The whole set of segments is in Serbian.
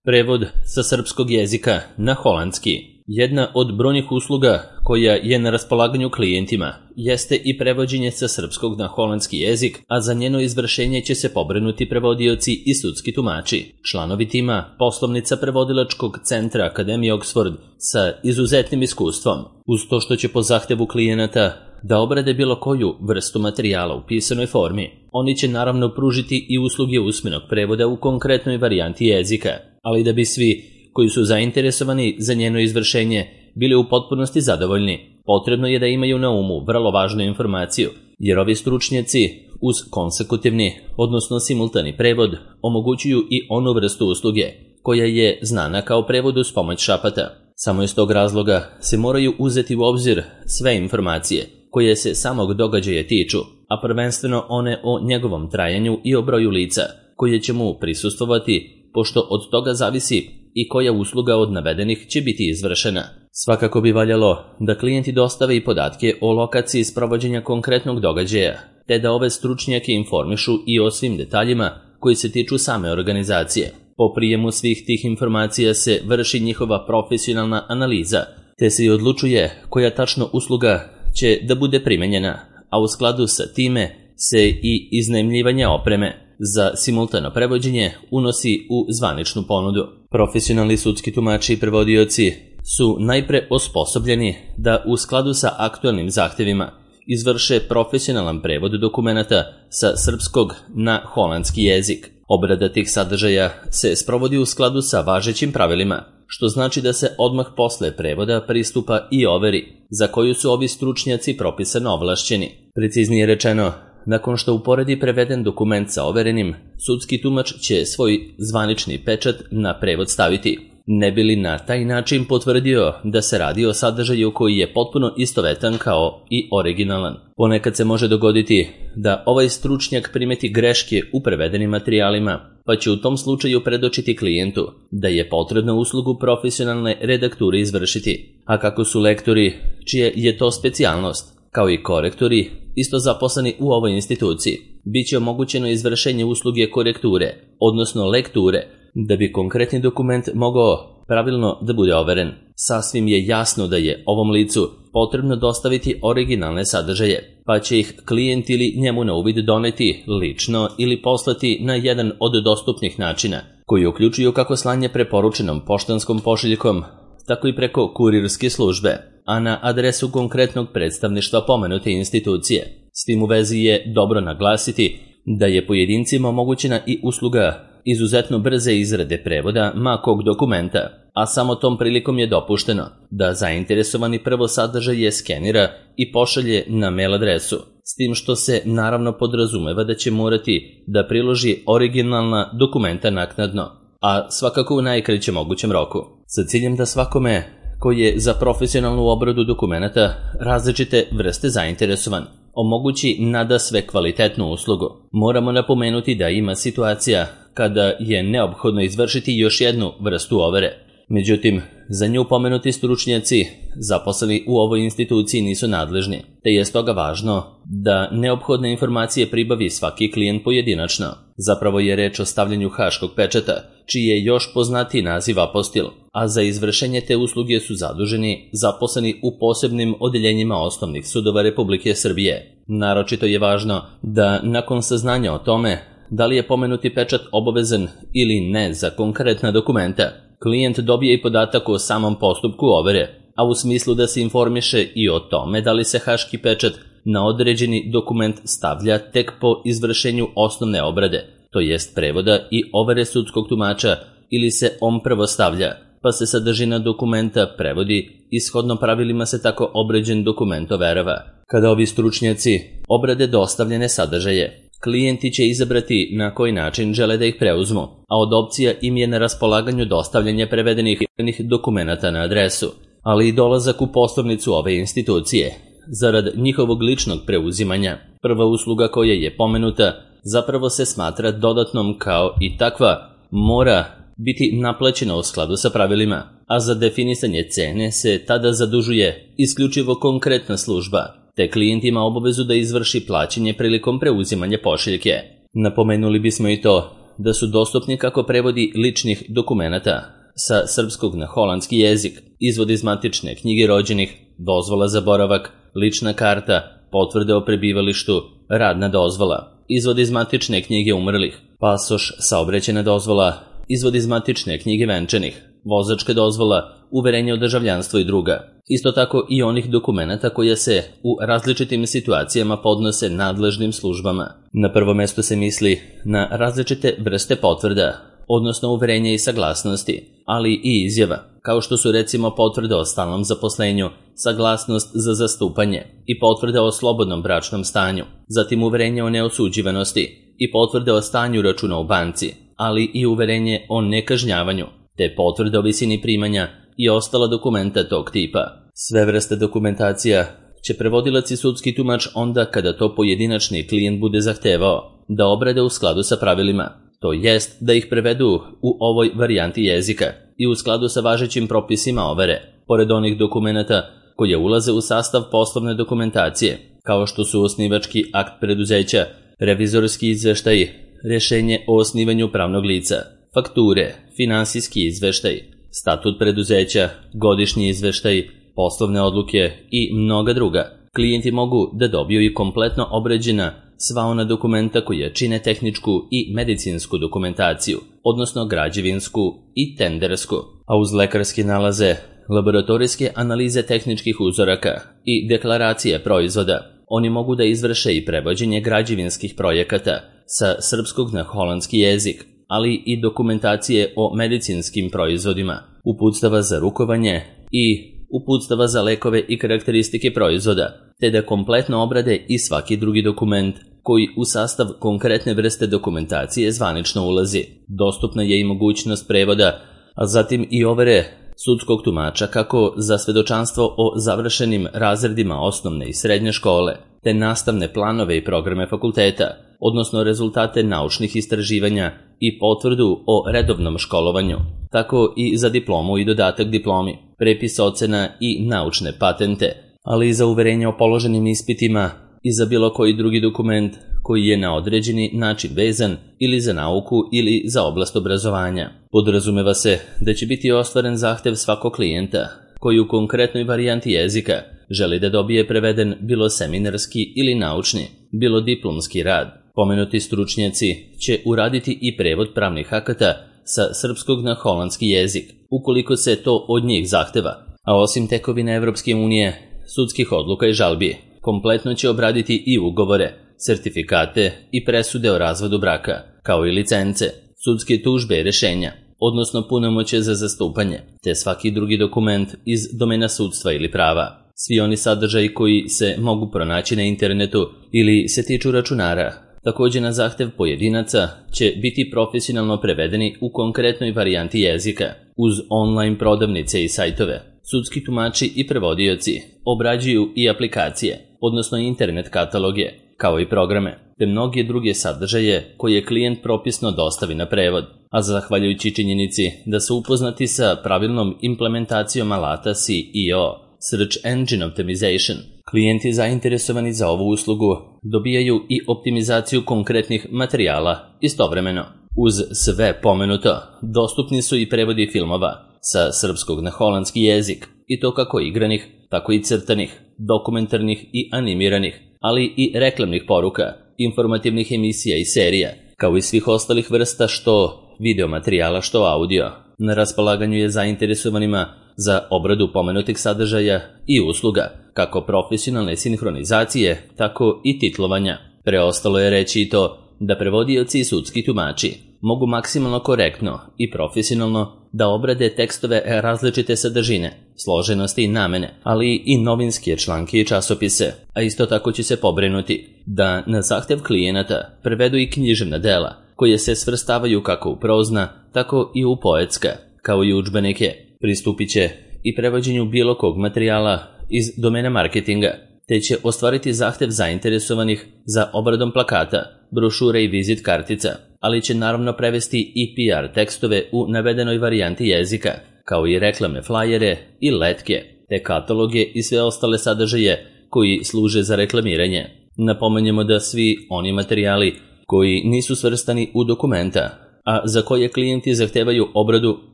Prevod sa srpskog jezika na holandski. Jedna od brojnih usluga koja je na raspolaganju klijentima jeste i prevođenje sa srpskog na holandski jezik, a za njeno izvršenje će se pobrinuti prevodioci i sudski tumači, članovi tima poslovnica prevodilačkog centra Akademije Oxford sa izuzetnim iskustvom, uz to što će po zahtevu klijenata da obrade bilo koju vrstu materijala u pisanoj formi. Oni će naravno pružiti i usluge usmenog prevoda u konkretnoj varijanti jezika, ali da bi svi koji su zainteresovani za njeno izvršenje bili u potpunosti zadovoljni, potrebno je da imaju na umu vrlo važnu informaciju, jer ovi stručnjaci uz konsekutivni, odnosno simultani prevod, omogućuju i onu vrstu usluge koja je znana kao prevod uz pomoć šapata. Samo iz tog razloga se moraju uzeti u obzir sve informacije koje se samog događaja tiču, a prvenstveno one o njegovom trajanju i o broju lica koje će mu prisustvovati, pošto od toga zavisi i koja usluga od navedenih će biti izvršena. Svakako bi valjalo da klijenti dostave i podatke o lokaciji sprovođenja konkretnog događaja, te da ove stručnjake informišu i o svim detaljima koji se tiču same organizacije. Po prijemu svih tih informacija se vrši njihova profesionalna analiza, te se i odlučuje koja tačno usluga će da bude primenjena, a u skladu sa time se i iznajmljivanje opreme za simultano prevođenje unosi u zvaničnu ponudu. Profesionalni sudski tumači i prevodioci su najpre osposobljeni da u skladu sa aktualnim zahtevima izvrše profesionalan prevod dokumenata sa srpskog na holandski jezik. Obrada tih sadržaja se sprovodi u skladu sa važećim pravilima, što znači da se odmah posle prevoda pristupa i overi, za koju su ovi stručnjaci propisano ovlašćeni. Preciznije rečeno, nakon što uporedi preveden dokument sa overenim, sudski tumač će svoj zvanični pečat na prevod staviti, ne bi li na taj način potvrdio da se radi o sadržaju koji je potpuno istovetan kao i originalan. Ponekad se može dogoditi da ovaj stručnjak primeti greške u prevedenim materijalima, pa će u tom slučaju predočiti klijentu da je potrebno uslugu profesionalne redakture izvršiti. A kako su lektori, čija je to specijalnost, kao i korektori, isto zaposleni u ovoj instituciji, bit će omogućeno izvršenje usluge korekture, odnosno lekture, da bi konkretni dokument mogao pravilno da bude overen. Sasvim je jasno da je ovom licu potrebno dostaviti originalne sadržaje, pa će ih klijent ili njemu na uvid doneti lično ili poslati na jedan od dostupnih načina, koji uključuju kako slanje preporučenom poštanskom pošiljkom, tako i preko kurirske službe, a na adresu konkretnog predstavništva pomenute institucije. S tim u vezi je dobro naglasiti da je pojedincima omogućena i usluga izuzetno brze izrade prevoda ma kog dokumenta, a samo tom prilikom je dopušteno da zainteresovani prvo sadržaj skenira i pošalje na mail adresu, s tim što se naravno podrazumeva da će morati da priloži originalna dokumenta naknadno, a svakako u najkraćem mogućem roku, sa ciljem da svakome koji je za profesionalnu obradu dokumenata različite vrste zainteresovan omogući nadasve kvalitetnu uslugu. Moramo napomenuti da ima situacija kada je neophodno izvršiti još jednu vrstu overe. Međutim, za nju pomenuti stručnjaci zaposleni u ovoj instituciji nisu nadležni, te je stoga važno da neophodne informacije pribavi svaki klijent pojedinačno. Zapravo je reč o stavljanju haškog pečata, čiji je još poznatiji naziv apostil, a za izvršenje te usluge su zaduženi zaposleni u posebnim odeljenjima osnovnih sudova Republike Srbije. Naročito je važno da nakon saznanja o tome da li je pomenuti pečat obavezan ili ne za konkretna dokumenta, klijent dobije i podatak o samom postupku overe, a u smislu da se informiše i o tome da li se haški pečat na određeni dokument stavlja tek po izvršenju osnovne obrade, to jest prevoda i overe sudskog tumača, ili se on prvo stavlja, pa se sadržina dokumenta prevodi i shodno pravilima se tako obrađen dokument overava. Kada ovi stručnjaci obrade dostavljene sadržaje, klijenti će izabrati na koji način žele da ih preuzmu, a od opcija im je na raspolaganju dostavljanje prevedenih dokumenata na adresu, ali i dolazak u poslovnicu ove institucije, zarad njihovog ličnog preuzimanja. Prva usluga koja je pomenuta zapravo se smatra dodatnom kao i takva mora biti naplaćena u skladu sa pravilima, a za definisanje cene se tada zadužuje isključivo konkretna služba, te klijent ima obavezu da izvrši plaćanje prilikom preuzimanja pošiljke. Napomenuli bismo i to da su dostupni kako prevodi ličnih dokumenata sa srpskog na holandski jezik, izvod iz matične knjige rođenih, dozvola za boravak, lična karta, potvrde o prebivalištu, radna dozvola, izvod iz matične knjige umrlih, pasoš, saobraćajna dozvola, izvod iz matične knjige venčanih, vozačka dozvola, uverenje o državljanstvu i druga. Isto tako i onih dokumenata koje se u različitim situacijama podnose nadležnim službama. Na prvo mesto se misli na različite vrste potvrda, odnosno uverenja i saglasnosti, ali i izjava, kao što su recimo potvrde o stalnom zaposlenju, saglasnost za zastupanje i potvrde o slobodnom bračnom stanju, zatim uverenje o neosuđivanosti i potvrde o stanju računa u banci, ali i uverenje o nekažnjavanju, te potvrde o visini primanja i ostala dokumenta tog tipa. Sve vrste dokumentacija će prevodilac i sudski tumač onda kada to pojedinačni klijent bude zahtevao da obrade u skladu sa pravilima, to jest da ih prevedu u ovoj varijanti jezika i u skladu sa važećim propisima overe, pored onih dokumenata koje ulaze u sastav poslovne dokumentacije, kao što su osnivački akt preduzeća, revizorski izveštaj, rješenje o osnivanju pravnog lica, fakture, finansijski izveštaj, statut preduzeća, godišnji izveštaj, poslovne odluke i mnoga druga. Klijenti mogu da dobiju i kompletno obrađena sva ona dokumenta koja čine tehničku i medicinsku dokumentaciju, odnosno građevinsku i tendersku, a uz lekarske nalaze, laboratorijske analize tehničkih uzoraka i deklaracije proizvoda, oni mogu da izvrše i prevođenje građevinskih projekata sa srpskog na holandski jezik, ali i dokumentacije o medicinskim proizvodima, uputstava za rukovanje i uputstava za lekove i karakteristike proizvoda, te da kompletno obrade i svaki drugi dokument koji u sastav konkretne vrste dokumentacije zvanično ulazi. Dostupna je i mogućnost prevoda, a zatim i overe sudskog tumača kako za svedočanstvo o završenim razredima osnovne i srednje škole, te nastavne planove i programe fakulteta, odnosno rezultate naučnih istraživanja i potvrdu o redovnom školovanju, tako i za diplomu i dodatak diplomi, prepis ocena i naučne patente, ali i za uverenje o položenim ispitima i za bilo koji drugi dokument koji je na određeni način vezan ili za nauku ili za oblast obrazovanja. Podrazumeva se da će biti ostvaren zahtev svakog klijenta koji u konkretnoj varijanti jezika želi da dobije preveden bilo seminarski ili naučni, bilo diplomski rad. Pomenuti stručnjaci će uraditi i prevod pravnih akata sa srpskog na holandski jezik, ukoliko se to od njih zahteva, a osim tekovine Evropske unije, sudskih odluka i žalbi, kompletno će obraditi i ugovore, sertifikate i presude o razvodu braka, kao i licence, sudske tužbe i rešenja, odnosno punomoćje za zastupanje, te svaki drugi dokument iz domena sudstva ili prava. Svi oni sadržaji koji se mogu pronaći na internetu ili se tiču računara, također na zahtev pojedinaca, će biti profesionalno prevedeni u konkretnoj varijanti jezika, uz online prodavnice i sajtove. Sudski tumači i prevodioci obrađuju i aplikacije, odnosno internet kataloge, kao i programe, te mnoge druge sadržaje koje klijent propisno dostavi na prevod, a zahvaljujući činjenici da su upoznati sa pravilnom implementacijom alata SEO, Search Engine Optimization, klijenti zainteresovani za ovu uslugu dobijaju i optimizaciju konkretnih materijala istovremeno. Uz sve pomenuto, dostupni su i prevodi filmova sa srpskog na holandski jezik, i to kako igranih, tako i crtanih, dokumentarnih i animiranih, ali i reklamnih poruka, informativnih emisija i serija, kao i svih ostalih vrsta što video materijala, što audio. Na raspolaganju je zainteresovanima za obradu pomenutih sadržaja i usluga, kako profesionalne sinhronizacije, tako i titlovanja. Preostalo je reći i to da prevodioci i sudski tumači mogu maksimalno korektno i profesionalno da obrade tekstove različite sadržine, složenosti i namene, ali i novinske članke i časopise, a isto tako će se pobrinuti da na zahtev klijenata prevedu i književna dela, koje se svrstavaju kako u prozna, tako i u poetska, kao i udžbenike. Pristupit će i prevođenju bilo kog materijala iz domena marketinga, te će ostvariti zahtev zainteresovanih za obradom plakata, brošure i vizit kartica, ali će naravno prevesti i PR tekstove u navedenoj varijanti jezika, kao i reklamne flajere i letke, te kataloge i sve ostale sadržaje koji služe za reklamiranje. Napomenjemo da svi oni materijali koji nisu svrstani u dokumenta a za koje klijenti zahtevaju obradu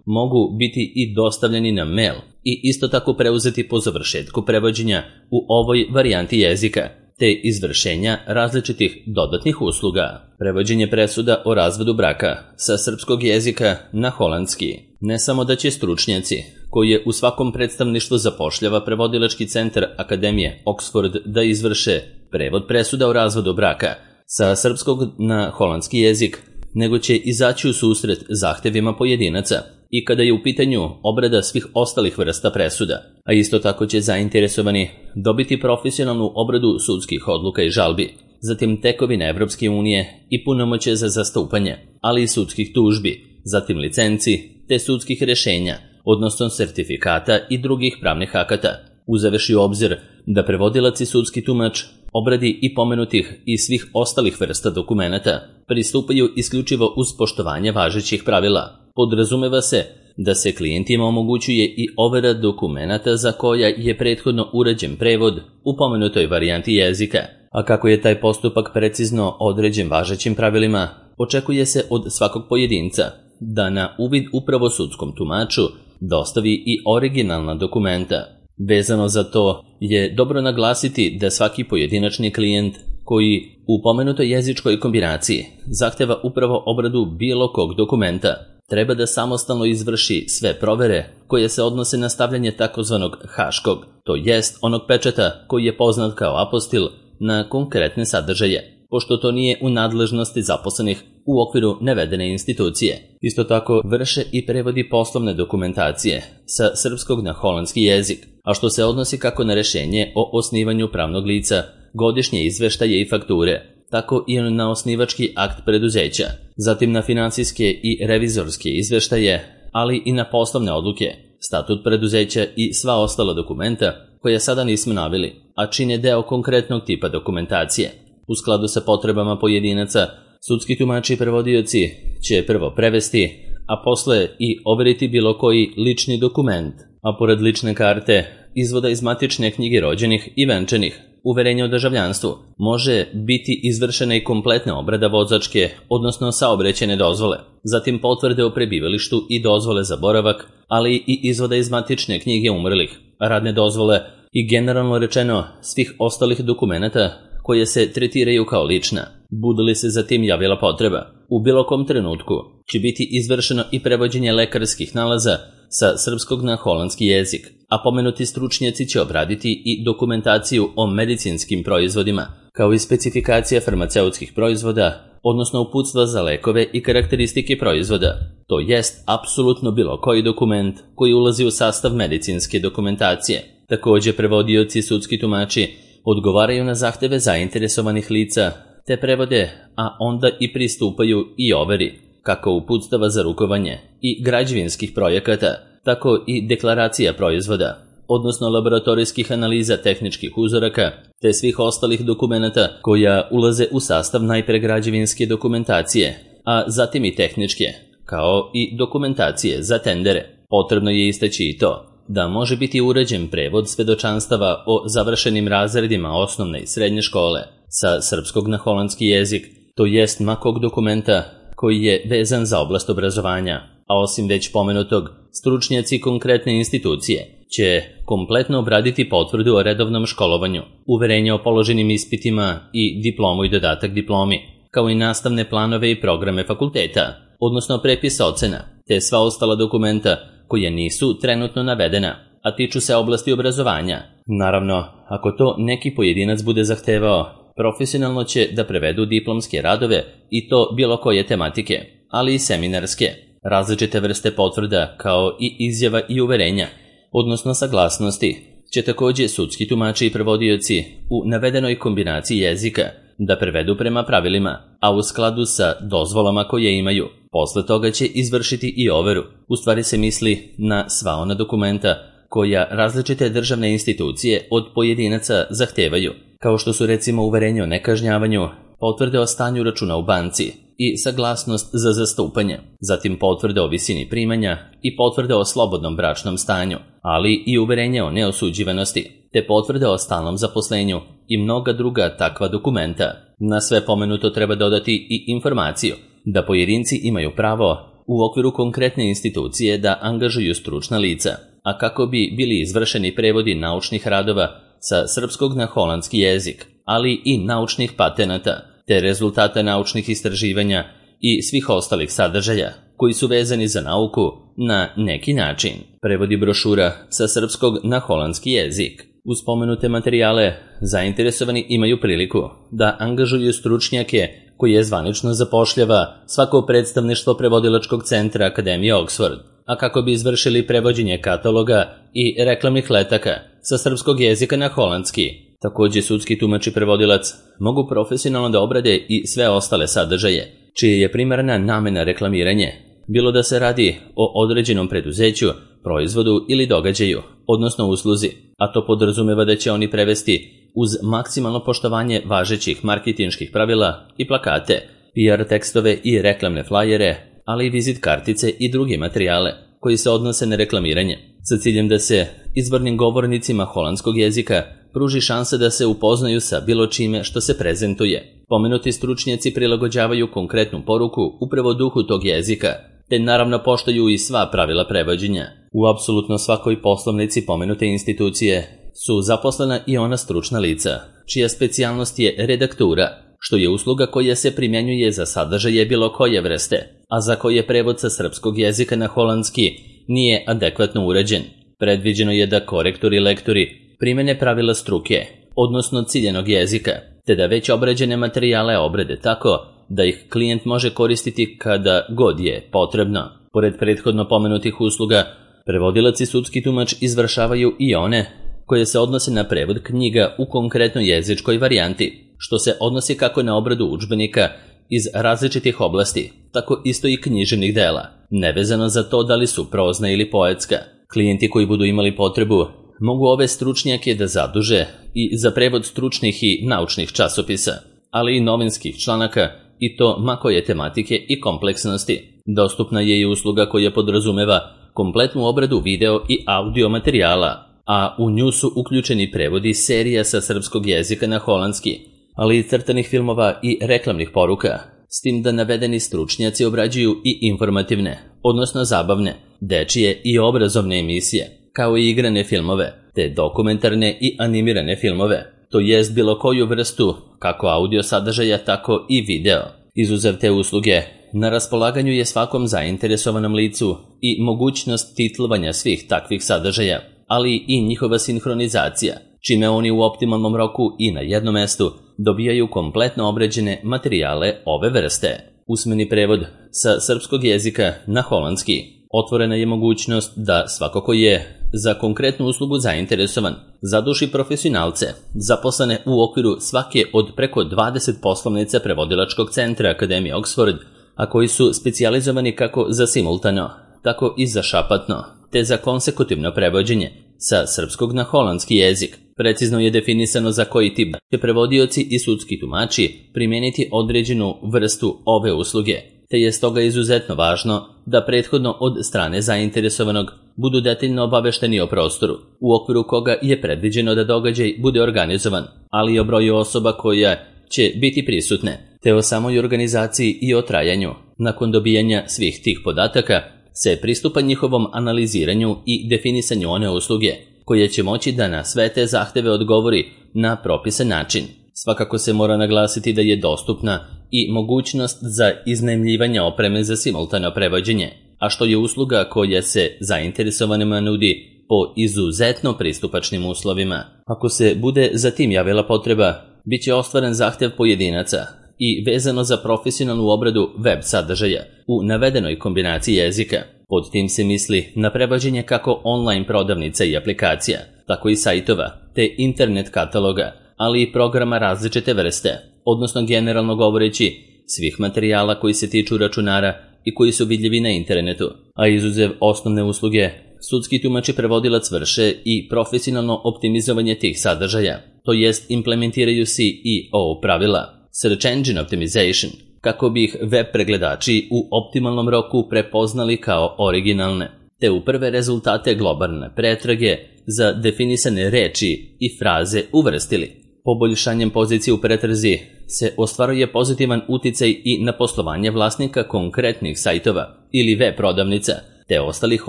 mogu biti i dostavljeni na mail i isto tako preuzeti po završetku prevođenja u ovoj varijanti jezika, te izvršenja različitih dodatnih usluga. Prevođenje presuda o razvodu braka sa srpskog jezika na holandski. Ne samo da će stručnjaci, koje u svakom predstavništvu zapošljava prevodilački centar Akademije Oxford da izvrše prevod presuda o razvodu braka sa srpskog na holandski jezik, nego će izaći u susret zahtevima pojedinaca i kada je u pitanju obrada svih ostalih vrsta presuda, a isto tako će zainteresovani dobiti profesionalnu obradu sudskih odluka i žalbi, zatim tekovine Evropske unije i punomoćje za zastupanje, ali i sudskih tužbi, zatim licenci te sudskih rješenja, odnosno sertifikata i drugih pravnih akata, uzevši u obzir da prevodilac i sudski tumač obradi i pomenutih i svih ostalih vrsta dokumenata pristupaju isključivo uz poštovanje važećih pravila. Podrazumeva se da se klijentima omogućuje i overa dokumenata za koja je prethodno urađen prevod u pomenutoj varijanti jezika, a kako je taj postupak precizno određen važećim pravilima, očekuje se od svakog pojedinca da na uvid upravo sudskom tumaču dostavi i originalna dokumenta. Vezano za to je dobro naglasiti da svaki pojedinačni klijent koji u pomenutoj jezičkoj kombinaciji zahteva upravo obradu bilo kog dokumenta treba da samostalno izvrši sve provere koje se odnose na stavljanje takozvanog haškog, to jest onog pečata koji je poznat kao apostil na konkretne sadržaje, pošto to nije u nadležnosti zaposlenih u okviru navedene institucije. Isto tako vrše i prevodi poslovne dokumentacije sa srpskog na holandski jezik, a što se odnosi kako na rješenje o osnivanju pravnog lica, godišnje izveštaje i fakture, tako i na osnivački akt preduzeća, zatim na financijske i revizorske izveštaje, ali i na poslovne odluke, statut preduzeća i sva ostala dokumenta koje sada nismo naveli, a čine deo konkretnog tipa dokumentacije. U skladu sa potrebama pojedinaca, sudski tumači i prevodioci će prvo prevesti, a posle i overiti bilo koji lični dokument, a pored lične karte, izvoda iz matične knjige rođenih i venčanih, uverenja o državljanstvu, može biti izvršena i kompletna obrada vozačke, odnosno saobraćajne dozvole, zatim potvrde o prebivalištu i dozvole za boravak, ali i izvoda iz matične knjige umrlih, radne dozvole i generalno rečeno svih ostalih dokumenata koje se tretiraju kao lična, bude li se zatim javila potreba. U bilo kom trenutku će biti izvršeno i prevođenje lekarskih nalaza sa srpskog na holandski jezik, a pomenuti stručnjaci će obraditi i dokumentaciju o medicinskim proizvodima, kao i specifikacija farmaceutskih proizvoda, odnosno uputstva za lekove i karakteristike proizvoda, to jest apsolutno bilo koji dokument koji ulazi u sastav medicinske dokumentacije. Također prevodioci i sudski tumači odgovaraju na zahteve zainteresovanih lica, te prevode, a onda i pristupaju i overi, kako uputstava za rukovanje i građevinskih projekata, tako i deklaracija proizvoda, odnosno laboratorijskih analiza tehničkih uzoraka, te svih ostalih dokumenata koja ulaze u sastav najpre građevinske dokumentacije, a zatim i tehničke, kao i dokumentacije za tendere. Potrebno je istaći i to da može biti urađen prevod svedočanstava o završenim razredima osnovne i srednje škole sa srpskog na holandski jezik, to jest makog dokumenta koji je vezan za oblast obrazovanja, a osim već pomenutog, stručnjaci konkretne institucije će kompletno obraditi potvrdu o redovnom školovanju, uverenje o položenim ispitima i diplomu i dodatak diplomi, kao i nastavne planove i programe fakulteta, odnosno prepisa ocena, te sva ostala dokumenta koje nisu trenutno navedena, a tiču se oblasti obrazovanja. Naravno, ako to neki pojedinac bude zahtevao, profesionalno će da prevedu diplomske radove i to bilo koje tematike, ali i seminarske, različite vrste potvrda kao i izjava i uverenja, odnosno saglasnosti, će također sudski tumači i prevodioci u navedenoj kombinaciji jezika da prevedu prema pravilima, a u skladu sa dozvolama koje imaju. Posle toga će izvršiti i overu. U stvari se misli na sva ona dokumenta koja različite državne institucije od pojedinaca zahtevaju, kao što su recimo uverenje o nekažnjavanju, potvrde o stanju računa u banci i saglasnost za zastupanje, zatim potvrde o visini primanja i potvrde o slobodnom bračnom stanju, ali i uverenje o neosuđivanosti, te potvrde o stalnom zaposlenju i mnoga druga takva dokumenta. Na sve pomenuto treba dodati i informaciju da pojedinci imaju pravo u okviru konkretne institucije da angažuju stručna lica, a kako bi bili izvršeni prevodi naučnih radova sa srpskog na holandski jezik, ali i naučnih patenata, te rezultata naučnih istraživanja i svih ostalih sadržaja koji su vezani za nauku na neki način. Prevodi brošura sa srpskog na holandski jezik. Uz spomenute materijale, zainteresovani imaju priliku da angažuju stručnjake koje zvanično zapošljava svako predstavništvo prevodilačkog centra Akademije Oxford, a kako bi izvršili prevođenje kataloga i reklamnih letaka sa srpskog jezika na holandski. Takođe, sudski tumač i prevodilac mogu profesionalno da obrade i sve ostale sadržaje, čije je primarna namena reklamiranje, bilo da se radi o određenom preduzeću, proizvodu ili događaju, odnosno usluzi, a to podrazumeva da će oni prevesti uz maksimalno poštovanje važećih marketinških pravila i plakate, PR tekstove i reklamne flajere, ali i vizit kartice i druge materijale koji se odnose na reklamiranje, sa ciljem da se izvornim govornicima holandskog jezika pruži šansa da se upoznaju sa bilo čime što se prezentuje. Pomenuti stručnjaci prilagođavaju konkretnu poruku upravo duhu tog jezika, te naravno poštuju i sva pravila prevođenja. U apsolutno svakoj poslovnici pomenute institucije su zaposlena i ona stručna lica, čija specijalnost je redaktura, što je usluga koja se primjenjuje za sadržaje bilo koje vrste, a za koje prevod sa srpskog jezika na holandski nije adekvatno uređen. Predviđeno je da korektori i lektori primene pravila struke, odnosno ciljenog jezika, te da već obrađene materijale obrade tako da ih klijent može koristiti kada god je potrebno. Pored prethodno pomenutih usluga, prevodilac i sudski tumač izvršavaju i one koje se odnose na prevod knjiga u konkretnoj jezičkoj varijanti, što se odnosi kako na obradu udžbenika iz različitih oblasti, tako isto i književnih dela, nevezano za to da li su prozna ili poetska. Klijenti koji budu imali potrebu mogu ove stručnjake da zaduže i za prevod stručnih i naučnih časopisa, ali i novinskih članaka, i to ma koje tematike i kompleksnosti. Dostupna je i usluga koja podrazumeva kompletnu obradu video i audio materijala, a u nju su uključeni prevodi serija sa srpskog jezika na holandski, ali i crtanih filmova i reklamnih poruka, s tim da navedeni stručnjaci obrađuju i informativne, odnosno zabavne, dečije i obrazovne emisije, kao i igrane filmove, te dokumentarne i animirane filmove, to jest bilo koju vrstu, kako audio sadržaja, tako i video. Izuzev te usluge, na raspolaganju je svakom zainteresovanom licu i mogućnost titlovanja svih takvih sadržaja, ali i njihova sinhronizacija, čime oni u optimalnom roku i na jednom mestu dobijaju kompletno obrađene materijale ove vrste. Usmeni prevod sa srpskog jezika na holandski. Otvorena je mogućnost da svako ko je za konkretnu uslugu zainteresovan zaduši profesionalce zaposlene u okviru svake od preko 20 poslovnica prevodilačkog centra Akademije Oxford, a koji su specijalizovani kako za simultano, tako i za šapatno, te za konsekutivno prevođenje sa srpskog na holandski jezik. Precizno je definisano za koji tip će prevodioci i sudski tumači primijeniti određenu vrstu ove usluge, te je stoga izuzetno važno da prethodno od strane zainteresovanog budu detaljno obavešteni o prostoru, u okviru koga je predviđeno da događaj bude organizovan, ali i o broju osoba koja će biti prisutne, te o samoj organizaciji i o trajanju. Nakon dobijanja svih tih podataka se pristupa njihovom analiziranju i definisanju one usluge, koja će moći da na sve te zahteve odgovori na propisan način. Svakako se mora naglasiti da je dostupna i mogućnost za iznajmljivanje opreme za simultano prevođenje, a što je usluga koja se zainteresovanima nudi po izuzetno pristupačnim uslovima. Ako se bude za tim javila potreba, bit će ostvaren zahtev pojedinaca i vezano za profesionalnu obradu web sadržaja u navedenoj kombinaciji jezika. Pod tim se misli na prevođenje kako online prodavnica i aplikacija, tako i sajtova, te internet kataloga, ali i programa različite vrste, odnosno generalno govoreći svih materijala koji se tiču računara i koji su vidljivi na internetu, a izuzev osnovne usluge, sudski tumač i prevodilac vrše i profesionalno optimizovanje tih sadržaja, to jest implementiraju SEO pravila, Search Engine Optimization, kako bi ih web pregledači u optimalnom roku prepoznali kao originalne, te u prve rezultate globalne pretrage za definisane reči i fraze uvrstili. Poboljšanjem pozicije u pretrazi se ostvaruje pozitivan uticaj i na poslovanje vlasnika konkretnih sajtova ili web prodavnica te ostalih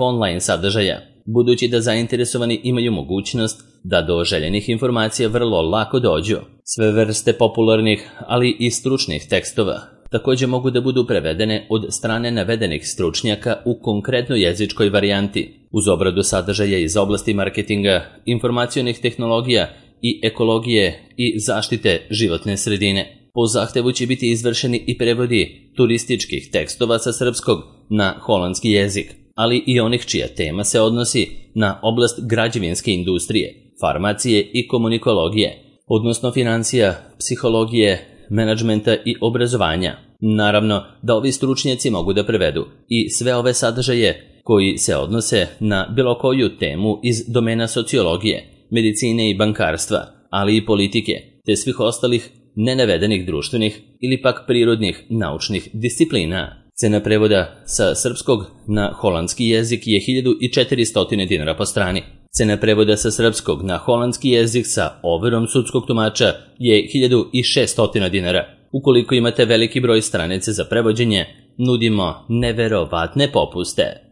online sadržaja, budući da zainteresovani imaju mogućnost da do željenih informacija vrlo lako dođu. Sve vrste popularnih, ali i stručnih tekstova također mogu da budu prevedene od strane navedenih stručnjaka u konkretnoj jezičkoj varijanti, uz obradu sadržaja iz oblasti marketinga, informacionih tehnologija i ekologije i zaštite životne sredine. Po zahtevu će biti izvršeni i prevodi turističkih tekstova sa srpskog na holandski jezik, ali i onih čija tema se odnosi na oblast građevinske industrije, farmacije i komunikologije, odnosno financija, psihologije, menadžmenta i obrazovanja. Naravno da ovi stručnjaci mogu da prevedu i sve ove sadržaje koji se odnose na bilo koju temu iz domena sociologije, medicine i bankarstva, ali i politike, te svih ostalih nenavedenih društvenih ili pak prirodnih naučnih disciplina. Cena prevoda sa srpskog na holandski jezik je 1400 dinara po strani. Cena prevoda sa srpskog na holandski jezik sa overom sudskog tumača je 1600 dinara. Ukoliko imate veliki broj stranice za prevođenje, nudimo neverovatne popuste.